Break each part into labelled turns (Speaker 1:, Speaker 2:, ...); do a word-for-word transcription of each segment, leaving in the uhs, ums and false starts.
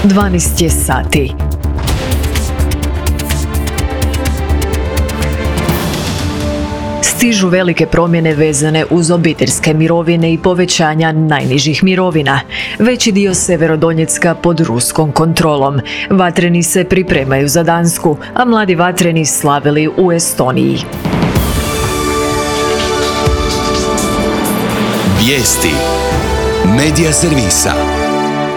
Speaker 1: dvanaest je sati. Stižu velike promjene vezane uz obiteljske mirovine i povećanja najnižih mirovina. Veći dio Sjeverodonjecka pod ruskom kontrolom. Vatreni se pripremaju za Dansku, a mladi vatreni slavili u Estoniji.
Speaker 2: Vijesti Medija servisa.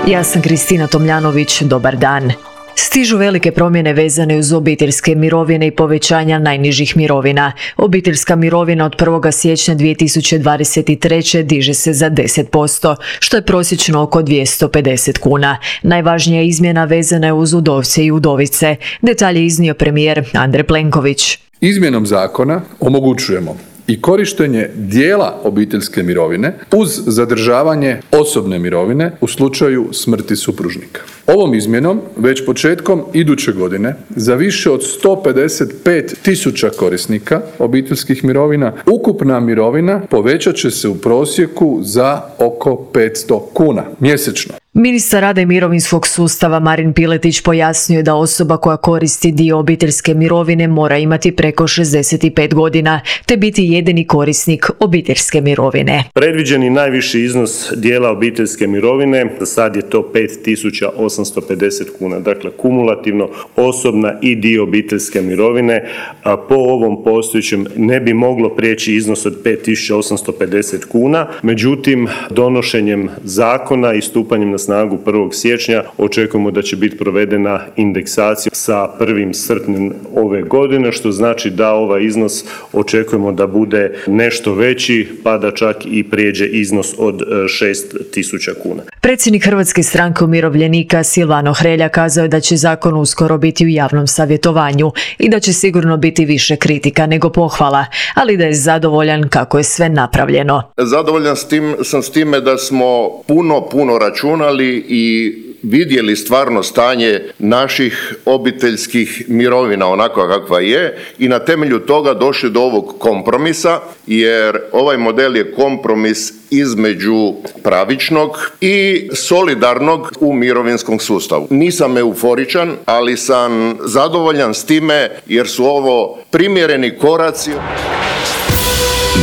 Speaker 1: Ja sam Kristina Tomljanović, dobar dan. Stižu velike promjene vezane uz obiteljske mirovine i povećanja najnižih mirovina. Obiteljska mirovina od prvog siječnja dvije tisuće dvadeset treće diže se za deset posto, što je prosječno oko dvjesto pedeset kuna. Najvažnija izmjena vezana je uz udovce i udovice. Detalje iznio premijer Andrej Plenković.
Speaker 3: Izmjenom zakona omogućujemo i korištenje dijela obiteljske mirovine uz zadržavanje osobne mirovine u slučaju smrti supružnika. Ovom izmjenom već početkom iduće godine za više od sto pedeset pet tisuća korisnika obiteljskih mirovina ukupna mirovina povećat će se u prosjeku za oko petsto kuna mjesečno.
Speaker 1: Ministar rada i mirovinskog sustava Marin Piletić pojasnio je da osoba koja koristi dio obiteljske mirovine mora imati preko šezdeset pet godina te biti jedini korisnik obiteljske mirovine.
Speaker 4: Predviđeni najviši iznos dijela obiteljske mirovine za sad je to pet tisuća osamsto pedeset kuna, dakle kumulativno osobna i dio obiteljske mirovine, a po ovom postojećem ne bi moglo prijeći iznos od pet tisuća osamsto pedeset kuna, međutim donošenjem zakona i stupanjem na snagu prvog siječnja očekujemo da će biti provedena indeksacija sa prvim srpnjem ove godine, što znači da ovaj iznos očekujemo da bude nešto veći, pa da čak i prijeđe iznos od šest tisuća kuna.
Speaker 1: Predsjednik Hrvatske stranke umirovljenika Silvano Hrelja kazao je da će zakon uskoro biti u javnom savjetovanju i da će sigurno biti više kritika nego pohvala, ali da je zadovoljan kako je sve napravljeno.
Speaker 5: Zadovoljan s tim, sam s time da smo puno, puno računali i vidjeli stvarno stanje naših obiteljskih mirovina onako kakva je i na temelju toga došli do ovog kompromisa, jer ovaj model je kompromis između pravičnog i solidarnog u mirovinskom sustavu. Nisam euforičan, ali sam zadovoljan s time jer su ovo primjereni koraci.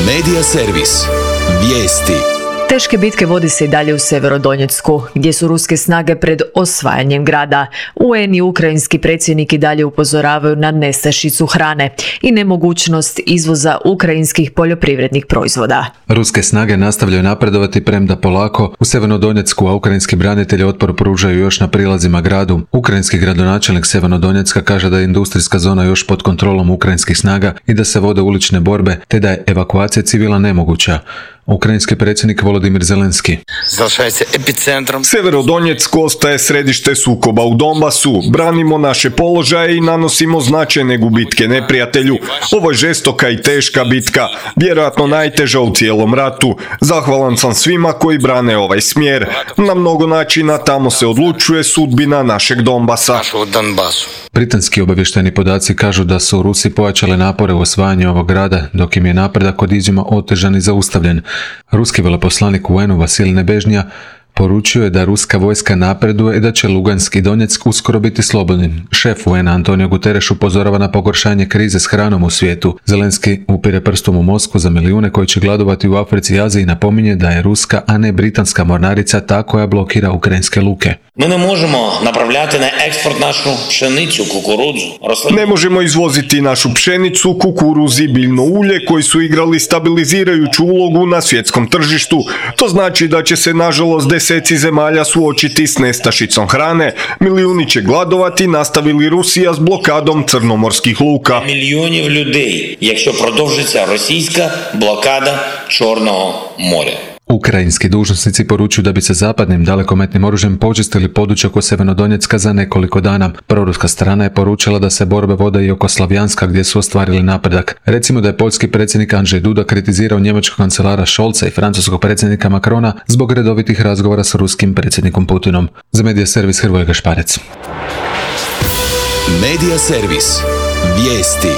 Speaker 2: Medija servis. Vijesti.
Speaker 1: Teške bitke vodi se i dalje u Sjeverodonjecku, gdje su ruske snage pred osvajanjem grada. U en i ukrajinski predsjednik i dalje upozoravaju na nestašicu hrane i nemogućnost izvoza ukrajinskih poljoprivrednih proizvoda.
Speaker 6: Ruske snage nastavljaju napredovati premda polako u Sjevernodonjecku, a ukrajinski branitelji otpor pružaju još na prilazima gradu. Ukrajinski gradonačelnik Sjevernodonjecka kaže da je industrijska zona još pod kontrolom ukrajinskih snaga i da se vode ulične borbe, te da je evakuacija civila nemoguća. Ukrajinski predsjednik Volodimir Zelenski.
Speaker 7: Sjeverodonjeck ostaje središte sukoba u Donbasu. Branimo naše položaje i nanosimo značajne gubitke neprijatelju. Ovo je žestoka i teška bitka, vjerojatno najteža u cijelom ratu. Zahvalan sam svima koji brane ovaj smjer. Na mnogo načina tamo se odlučuje sudbina našeg Donbasa.
Speaker 6: Britanski obavještajni podaci kažu da su Rusi pojačale napore u osvajanju ovog grada, dok im je napredak od izuma otežan i zaustavljen. Ruski veleposlanik u en u Vasilij Nebežnija poručio je da ruska vojska napreduje i da će Lugansk i Donjeck uskoro biti slobodni. Šef u en Antonio Guterres upozorava na pogoršanje krize s hranom u svijetu. Zelenski upire prstom u Moskvu za milijune koji će gladovati u Africi i Aziji i napominje da je ruska, a ne britanska mornarica ta koja blokira ukrajinske luke.
Speaker 8: Mi ne možemo napravljati na eksport našu pšenicu, kukurudzu.
Speaker 7: Ne možemo izvoziti našu pšenicu, kukuruz i biljno ulje koji su igrali stabilizirajuću ulogu na svjetskom tržištu. To znači da će se nažalost deseci zemalja suočiti s nestašicom hrane. Milijuni će gladovati, nastavili Rusija s blokadom crnomorskih luka.
Speaker 8: Мільйонів людей, якщо продовжиться російська блокада Чорного моря.
Speaker 6: Ukrajinski dužnosnici poručuju da bi se zapadnim dalekometnim oružjem počistili područje oko Sjevernodonjecka za nekoliko dana. Proruska strana je poručila da se borbe vode i oko Slavjanska gdje su ostvarili napredak. Recimo da je poljski predsjednik Andrzej Duda kritizirao njemačkog kancelara Scholza i francuskog predsjednika Macrona zbog redovitih razgovora s ruskim predsjednikom Putinom. Za Medija servis Hrvoje Gašparec.
Speaker 2: Medija servis. Vijesti.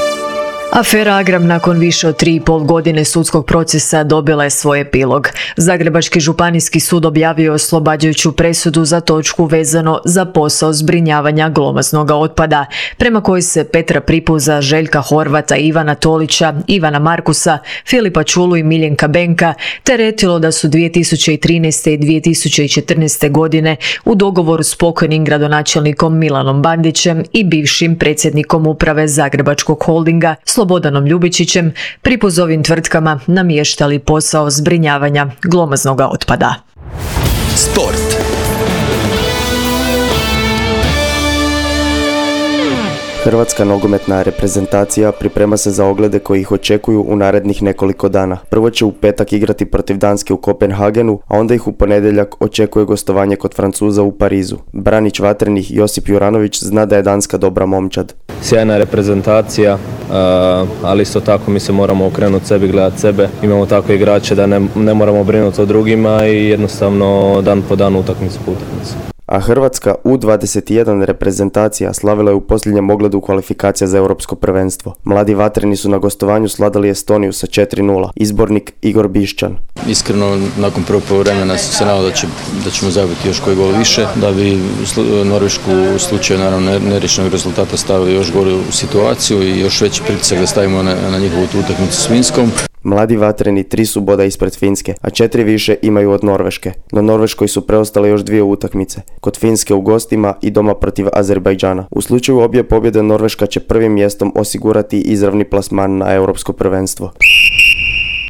Speaker 1: Afera Agram nakon više od tri i pol godine sudskog procesa dobila je svoj epilog. Zagrebački županijski sud objavio oslobađajuću presudu za točku vezano za posao zbrinjavanja glomaznog otpada, prema kojoj se Petra Pripuza, Željka Horvata, Ivana Tolića, Ivana Markusa, Filipa Čulu i Miljenka Benka teretilo da su dvije tisuće trinaeste i dvije tisuće četrnaeste godine u dogovoru s pokojnim gradonačelnikom Milanom Bandićem i bivšim predsjednikom uprave Zagrebačkog holdinga Slobodanom Ljubičićem Pripuzovim tvrtkama namještali posao zbrinjavanja glomaznog otpada.
Speaker 2: Sport.
Speaker 9: Hrvatska nogometna reprezentacija priprema se za oglede koji ih očekuju u narednih nekoliko dana. Prvo će u petak igrati protiv Danske u Kopenhagenu, a onda ih u ponedjeljak očekuje gostovanje kod Francuza u Parizu. Branić vatrenih Josip Juranović zna da je Danska dobra momčad.
Speaker 10: Sjajna reprezentacija, ali isto tako mi se moramo okrenuti sebi, gledati sebe. Imamo takve igrače da ne, ne moramo brinuti o drugima i jednostavno dan po danu utakmicu po utakmicu.
Speaker 9: A Hrvatska U dvadeset jedan reprezentacija slavila je u posljednjem ogledu kvalifikacija za europsko prvenstvo. Mladi vatreni su na gostovanju sladali Estoniju sa četiri nula. Izbornik Igor Bišćan.
Speaker 11: Iskreno, nakon prvog poluvremena sam se nadao da, će, da ćemo zabiti još koji gol više, da bi Norvešku u slučaju naravno neriješenog rezultata stavili još gore u situaciju i još veći pritisak da stavimo na, na njihovu utakmicu s Finskom.
Speaker 9: Mladi vatreni tri su boda ispred Finske, a četiri više imaju od Norveške. No Norveškoj su preostale još dvije utakmice, kod Finske u gostima i doma protiv Azerbajdžana. U slučaju obje pobjede Norveška će prvim mjestom osigurati izravni plasman na europsko prvenstvo.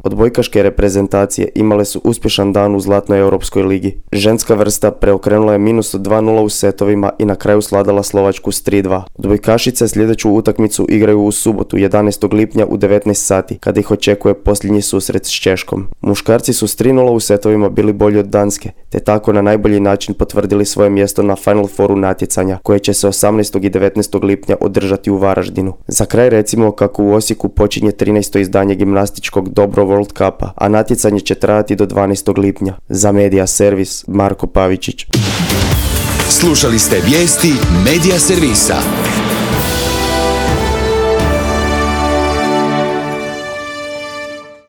Speaker 9: Odbojkaške reprezentacije imale su uspješan dan u Zlatnoj europskoj ligi. Ženska vrsta preokrenula je minus od dva nula u setovima i na kraju sladala Slovačku s tri dva. Odbojkašice sljedeću utakmicu igraju u subotu jedanaestog lipnja u devetnaest sati, kada ih očekuje posljednji susret s Češkom. Muškarci su s tri nula u setovima bili bolji od Danske, te tako na najbolji način potvrdili svoje mjesto na Final Fouru natjecanja, koje će se osamnaestog i devetnaestog lipnja održati u Varaždinu. Za kraj recimo kako u Osijeku počinje trinaesto izdanje gimnastičkog Dobro World Cupa, a natjecanje će trajati do dvanaestog lipnja. Za Medija Servis, Marko Pavičić.
Speaker 2: Slušali ste vijesti Medija Servisa.